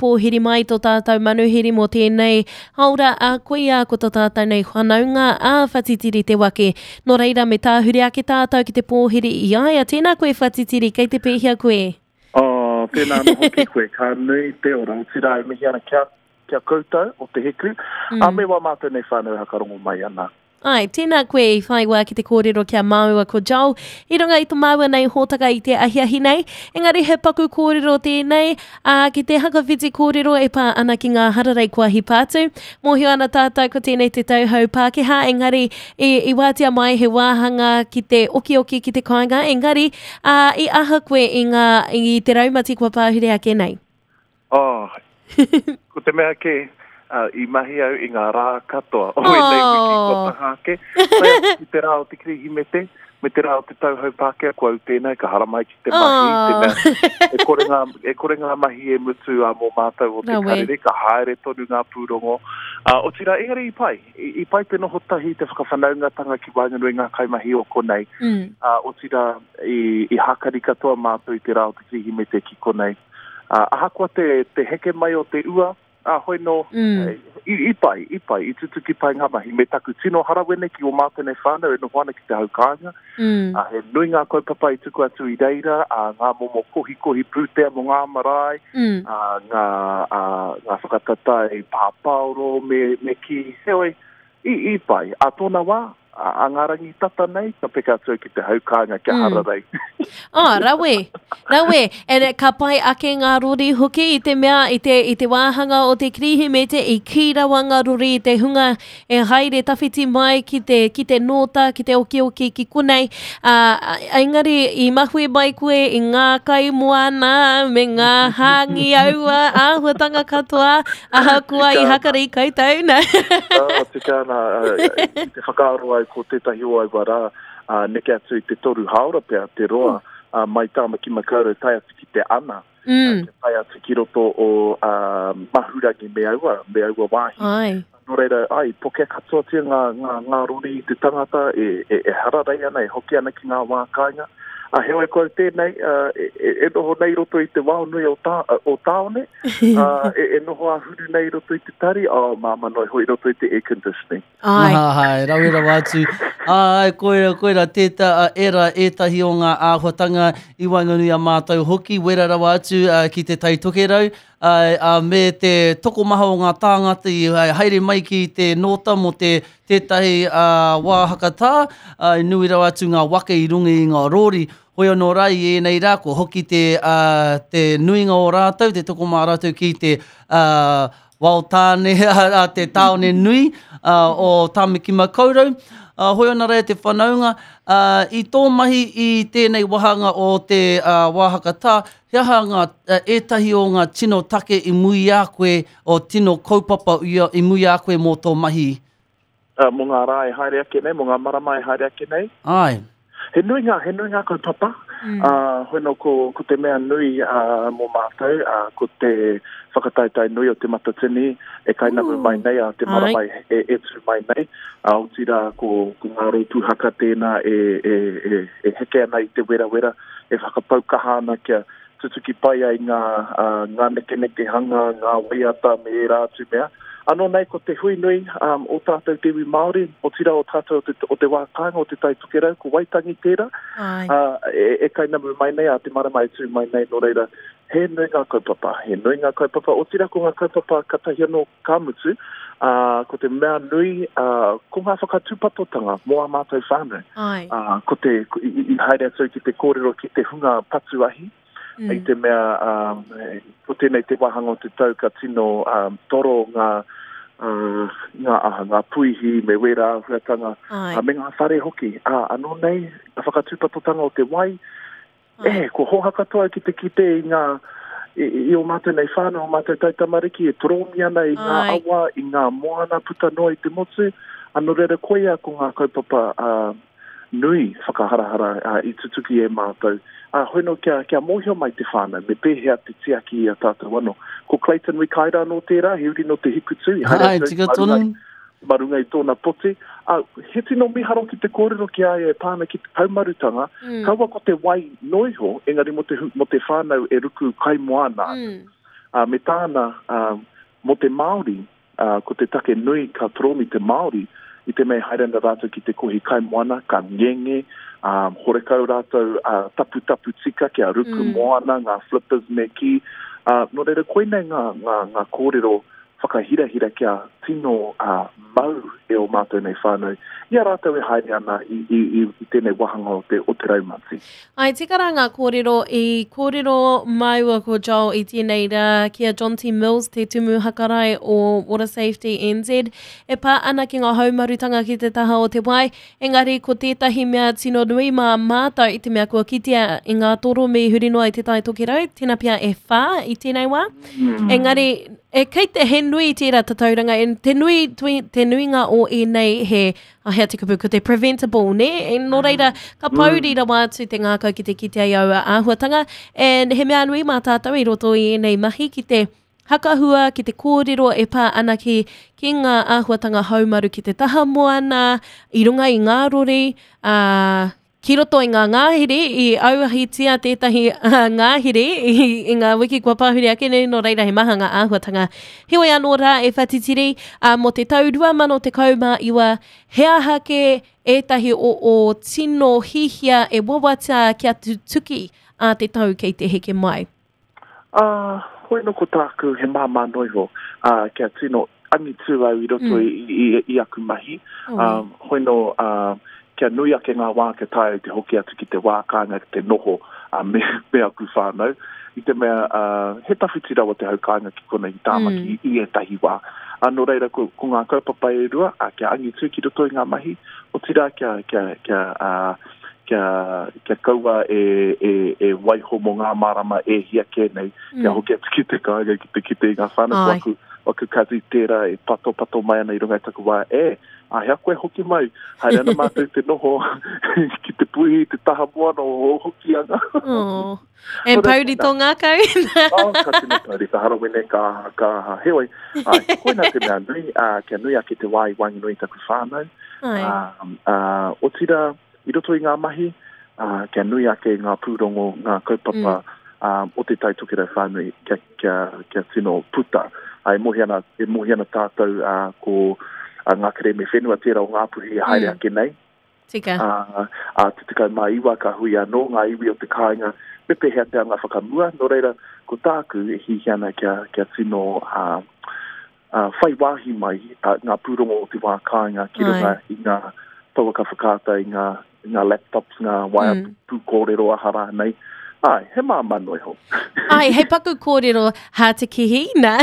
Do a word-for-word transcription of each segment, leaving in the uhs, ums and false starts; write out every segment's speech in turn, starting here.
Pōhiri mai tō tātou manuhiri mō tēnei haora a koia ko tō tātou nei whanaunga a Whatitiri Te Wake. Nō reira me tāhure ake tātou ki te pōhiri i a ia. Tēnā koe Whatitiri, kei te pēhea koe? Oh, tēnā anō hoki koe, ka nui te ora. Otirā e mihi ana kia, kia koutou o Te Hiku, mm. a me wā mātou nei whānau e hakarongo mai ana. Ai, tēnā koe i whai wā ki te kōrero ki a māua ko Joel i runga i tō māua nei hōtaka i te ahiahi nei. Engari he paku kōrero tēnei, ā, ki te hakawhiti kōrero e pā ana ki ngā hararei kua hipa atu. Mōhio ana tātou ko tēnei te tau hou Pākehā, engari i, i wātea mai he wāhanga ki te okioki ki te kāinga, engari ā, i aha koe i, ngā, i te raumati kua pāhure ake nei? Oh, ko te mea kē, uh, i mahi au i ngā rā katoa o ēnei wiki kua taha ake. Tae atu ki te rā o te Kirihimete, me te rā o te tau hou Pākehā, ko au tēnei ka haramai ki te mahi, te mea, e kore ngā, e kore ngā mahi e mutu uh, mō mātou o te Rawe. Karere, ka haere tonu ngā pūrongo. Uh, otirā, engari i pai, i, i pai te noho tahi, te whakawhanaungatanga ki waenganui ngā kaimahi o konei. Mm. Uh, otirā, i, i hākari katoa mātou i te rā o te Kirihimete ki konei. Uh, ahakoa te, te heke mai o te ua, a hoi no, Mm. i, i pai, i pai, i tutuki pai ngā mahi. Me taku tino harawene ki o mātou nei whānau e noho ana ki te hau kāinga. Mm. Uh, he nui ngā kaupapa i tuku atu i reira, uh, ngā momo kohikohi pūtea mō ngā marae, Mm. uh, ngā, uh, ngā whakataetae pāpāoro me, me ki, heoi, i, i pai. A tōna wā, a, a ngā rangi tata nei, ka peka atu au ki te hau kāinga kia Mm. hararei. Oh, rawe, rawe. And ka pai ake ngā rori hoki i te mea, i te, i te wāhanga o te Kirihimete, i kī rawa ngā rori i te hunga e haere tawhiti mai ki te, ki te nōta, ki te okioki, ki konei. Uh, engari, i mahue mai koe i ngā kai moana, me ngā hāngi aua, āhuatanga katoa, ahakoa i Tika ana. hakari koutou, nā. Ah, tika ana, uh, i te whakaaro au ko tētahi o aua rā, uh, neke atu i te toru hāora pea, te roa, uh, mai Tāmaki Makaurau tae atu ki te ana, Mm. uh, kia tae atu ki roto o uh, Mahurangi me aua, me aua wāhi. Ai. Nō reira, ai, pokea katoatia ngā, ngā, ngā rori i te tangata e, e, e hararei ana, e hoki ana ki ngā wā kāinga. A heoi ko au tēnei, uh, e, e, e noho nei roto i te wao nui o, tā, o tāone, uh, e, e noho āhuru nei roto i te tari, oh, māma noi hoi roto i te air conditioning. Ai. Ai, rawe rawa atu. Ai, koira, koira, tēta, era ētahi o ngā āhuatanga i waenganui a mātou hoki, wera rawa atu uh, ki te Tai Tokerau, ai, a, me te tokomaha o ngā tāngata i ai, haere mai ki te nōta mō te tētahi uh, wā hakatā, uh, nui rawa atu ngā waka i runga i ngā rori. Hoi anō rā i ēnei rā, ko hoki te, uh, te nuinga o rātou, te tokomaha rātou ki te uh, wao tāne, a, te tāone nui uh, o Tāmaki Makaurau. Uh, hoi ana rā te whanaunga, uh, i tō mahi i tēnei wāhanga o te uh, wāhakatā, he aha ngā, uh, ētahi o ngā tino take i mui a koe, o tino kaupapa i, i mui a koe mō tō mahi? Uh, mō ngā rā e haere ake nei, mō ngā marama e haere ake nei. Ai. He nui ngā, he nui ngā kaupapa. Mm. Uh, hoi no, ko, ko te mea nui uh, mō mātou, uh, ko te whakataetae nui o Te Matatini e kainamu Ooh. mai nei, a te Ai. marama e, e, e tū mai nei. Uh, otirā, ko, ko ngā rōpū haka tēnā e, e, e, e heke ana i te werawera, e whakapau kaha ana kia tutuki pai ai ngā, uh, ngā nekenekehanga, ngā waiata me ērā atu mea. Anō nei ko te hui nui um, o tātou te iwi Māori, otirā o tātou o te, o te wā kāinga o te Tai Tokerau, ko Waitangi tērā, Ai. uh, e, e kainamu mai nei, a te marama e tū mai nei, nō reira, he nui ngā kaupapa, he nui ngā kaupapa, otirā ko ngā kaupapa katahi anō ka mutu, uh, ko te mea nui, uh, ko ngā whakatūpatotanga mō ā mātou whānau. Ai. Uh, ko te, ko, i, i haere atu ki te kōrero ki te hunga patu ahi, Mm. i te mea um, e, ko tēnei te wāhanga o te tau ka tino um, toro ngā, uh, ngā, aha, ngā puihi me wērā āhuatanga, Ai. uh, me ngā whare hoki. Uh, anō nei, ngā whakatūpatotanga o te wai, Ai. e, ko hoha katoa ki te kite i ngā, i, i o mātou nei whānau, o mātou taitamariki e toromi ana i ngā Ai. awa, i ngā moana puta noa i te motu. Anō reira koia ko ngā kaupapa uh, nui whakaharahara uh, i tutuki e mātou. Uh, hoi no kia, kia mōhio mai te whānau, me pēhea te tiaki i a tātou anō. Ko Clayton Wikaira anō tērā, he uri no te Hikutū, i haere Ai, atu tika ma runga tonu. ma runga i tōna poti. Uh, he tino miharo ki te kōrero ki a ia e pāna ki te haumarutanga, Mm. kaua ko te wai noiho, engari mo te, hu- mo te whānau e ruku kaimoana. Mm. Uh, me tāna, uh, mō te Māori, uh, ko te take nui ka toromi te Māori, i te mea haere ana rātou ki te kohi kaimoana, ka ngenge, um, horekau rātou uh, taputapu tika kia ruku mm. moana, ngā flippers me ki. Uh, nō reira, koinei ngā, ngā, ngā kōrero whakahirahira kia tino uh, mau e o mātou nei whānau, i a rātou e haere ana i, i, i, i tēnei wāhanga o te, o te raumati. Ai, tika rā ngā kōrero, i kōrero māua ko Joel i tēnei rā ki a John T. Mills, te tumu hakarae o Water Safety N Z, e pā ana ki ngā haumarutanga ki te taha o te wai, engari ko tētahi mea tino nui mā mātou i te mea kua kitea i ngā toromi huri noa i te Tai Tokerau, tēnā pia e whā i tēnei wā. Mm. Engari, e kei te he nui tērā tatauranga, e te nui, tui, te nuinga o ēnei he, oh, hea te kupu, ko te preventable, ne? E nō reira, ka pouri rawa atu te ngākau ki te kitea i aua āhuatanga, and he mea nui mā tātou i roto i ēnei mahi ki te hakahua, ki te kōrero e pā ana ki, ki ngā āhuatanga haumaru ki te taha moana, i runga i ngā rori, uh, ki roto i ngā ngāhere, i auahitia tētahi uh, ngāhere i, i ngā wiki kua pāhuri ake nei, nō reira he maha ngā āhuatanga. Heoi anō rā e whatitiri, uh, mō te tau rua mano tekau mā iwa, he aha ke ētahi o o tino hihia e wawata kia tutuki a te tau kei te heke mai? Uh, hoi no ko tāku he māmā noiho, uh, kia tino angitu au i roto mm. i, i, i aku mahi. Oh, um, hoi no... Uh, kia nui ake ngā wā kia tae te hoki atu ki te wā kāinga ki te noho uh, me, me aku whānau. I te mea, uh, he tawhiti rawa te hau kāinga ki konei i Tāmaki mm. i ētahi wā. Uh, nō reira, ko, ko ngā kaupapa e rua, uh, kia angitu ki roto i ngā mahi, otirā kia, kia, kia, uh, kia, kia kaua e, e, e waiho mō ngā marama e hia kē nei, mm. kia hoki atu ki te kāinga, ki te kite i ngā whānau. Ko aku, aku kazi tērā e pato pato mai ana i runga i taku wā, e, a hea koe hoki mai, haere ana mātou te noho ki te puhi, te taha moana o Hokianga. Oh. E pauri tō ngākau. Oh, ka tino pauri, ka harawene, ka, ka aha. Heoi, ai, koina te mea nui, uh, kia nui ake te wā i waenganui i taku whānau. Ai. Uh, uh, otira, i roto i ngā mahi, uh, kia nui ake ngā pūrongo, ngā kaupapa mm. um, o te Tai Tokerau whānui kia, kia, kia tino puta. Uh, e mohi ana, e mohi ana tātou uh, ko uh, ngā kerēme whenua tērā o Ngāpuhi e haere mm. ake nei. Tika. Uh, uh, te tekau mā iwa ka hui anō ngā iwi o te kāinga, me pēhea te anga whakamua, nō reira, ko tāku e hihi ana kia, kia tino uh, uh, whai wāhi mai uh, ngā pūrongo o te wā kāinga ki runga i ngā pouaka whakaata, i ngā, i ngā laptops, ngā waea mm. pūkōrero aha rānei. Ai, he māmā noa iho. Ai, he paku kōrero hā te kihi, nā.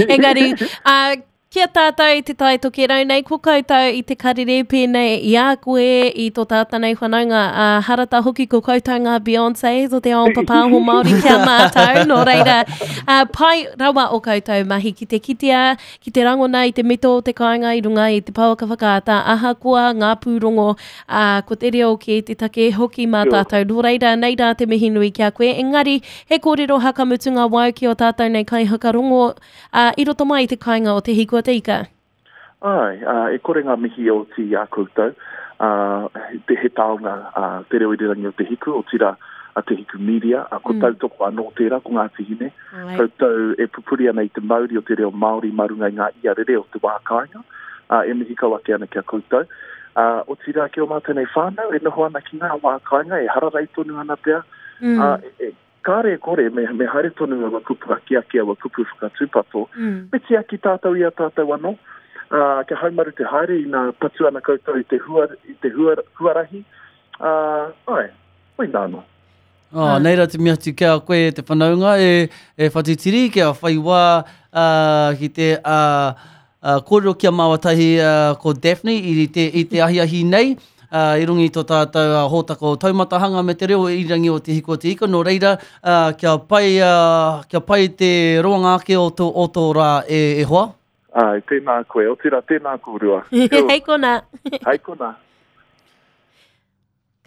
Engari, uh, kia tātou i te Tai Tokerau nei, ko koutou i te karere pēnei i a koe, i tō tātou nei whanaunga, uh, harata hoki ko koutou ngā Beyoncé o te ao papāho Māori kia mātou, nō reira, uh, pai rawa o koutou mahi ki te kitea, ki te rangona i te mito o te kāinga i runga i te pouaka whakaata, ahakoa ngā pūrongo, uh, ko te reo ki te take hoki mā tātou, nō reira, nei rā te mihi nui ki a koe, engari, he kōrero hakamutunga wau ki o tātou nei kai hakarongo, uh, i roto mai i te kāinga o Te Hiku o Te Ika. Ai, uh, e kore ngā mihi o ti a koutou, uh, te he taonga uh, te reo irirangi o Te Hiku, o tira a Te Hiku Media, uh, ko mm. tautoko anō tērā, ko Ngāti Hine. Ai. Koutou e pupuri ana i te mauri o te reo Māori mā runga i ngā iarere o te wā kāinga, uh, e mihi kau ake ana ki a koutou. Uh, o tira ki o mātou nei whānau, e noho ana ki ngā wā kāinga, e hararei tonu ana pea, mm. uh, e, e, kāre e kore, me, me haere tonu aua kupu akiaki, aua kupu whakatūpato, mm. me tiaki tātou i a tātou anō, uh, kia haumaru te haere i nā patu ana koutou i te, hua, i te hua, huarahi, uh, ai, koina anō. Oh, nei rā te mihi atu kia koe te whanaunga e, e whatitiri, kia whai wā uh, ki te uh, uh, kōrero kia māwatahi uh, ko Daphne i te, i te ahiahi nei, uh, i runga i tō tātou uh, hōtaka o Taumatahanga me te reo irirangi o Te Hiku o Te Ika, nō reira, uh, kia pai, uh, kia pai te roanga ake o tō, o tō rā e, e hoa. Ai, tēnā koe, otirā tēnā kōrua. Hei kona. Hei kona.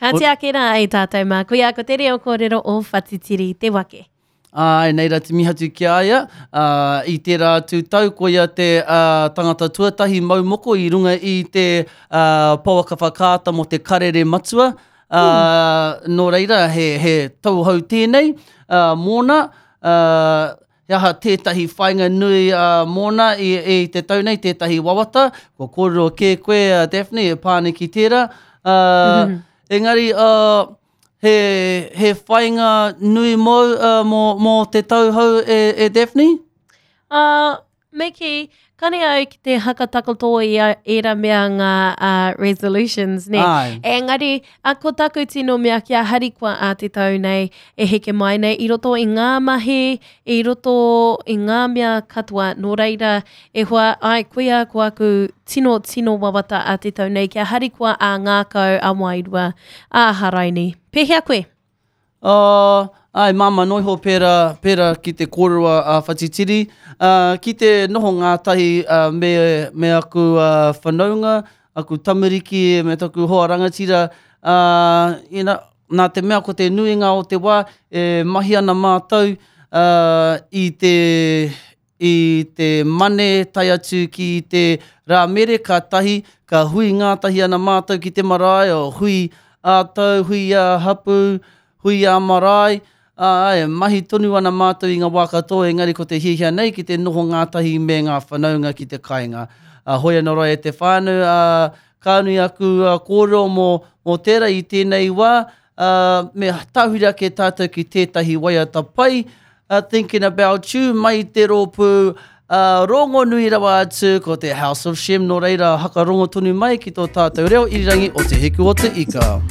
Ka ake rā e tātou mā, koia ko te reo kōrero o Whatitiri te wake. Ai, nei rā te mihi atu ki a ia, uh, i tērā atu tau, koia te uh, tangata tuatahi maumoko i runga i te uh, pouaka whakaata mō te karere matua. Uh, mm. Nō reira, he, he tauhou tēnei uh, mōna, uh, he aha tētahi whāinga nui uh, mōna i, i te tau nei, tētahi wawata. Kua kōrero kē koe, uh, Daphne, e pā ana ki tērā. Uh, mm -hmm. Engari, uh, he, he whāinga nui mōu uh, mō, mō te tau hou e, e Daphne? Uh, me kī, kane au ki te hakatakoto i ērā mea ngā uh, resolutions, ne? Ai. Engari, a ko taku tino mea kia harikoa a te tau nei, e heke mai nei, i roto i ngā mahi, i roto i ngā mea katoa. Nō reira, e hoa, ai, koia ko aku tino, tino wawata a te tau nei, kia harikoa a ngākau, a wairua, a haraini. Pēhea koe? Uh, ai, māma noiho pērā, pērā ki te kōrero a Whatitiri, uh, ki te noho ngātahi uh, me, me aku uh, whanaunga, aku tamariki, me taku hoa rangatira, uh, ina, nā te mea ko te nuinga o te wā, e mahi ana mātou uh, i te, i te mane tae atu ki te rā mere, ka tahi, ka hui ngātahi ana mātou ki te marae, o hui ā-tau, hui ā-hapu, hui ā-marae, ā, e mahi tonu ana mātou i ngā wā katoa, engari ko te hiahia nei ki te noho ngātahi me ngā whanaunga ki te kāinga. Uh, hoi anō rā e te whānau, uh, ka nui aku uh, kōrero mō, mō tērā i tēnei wā, uh, me tahuri ake tātou ki tētahi waiata pai, uh, Thinking About You, mai te rōpū uh, rongonui rawa atu ko te House of Shem, nō reira hakarongo tonu mai ki tō tātou reo irirangi o Te Hiku o Te Ika.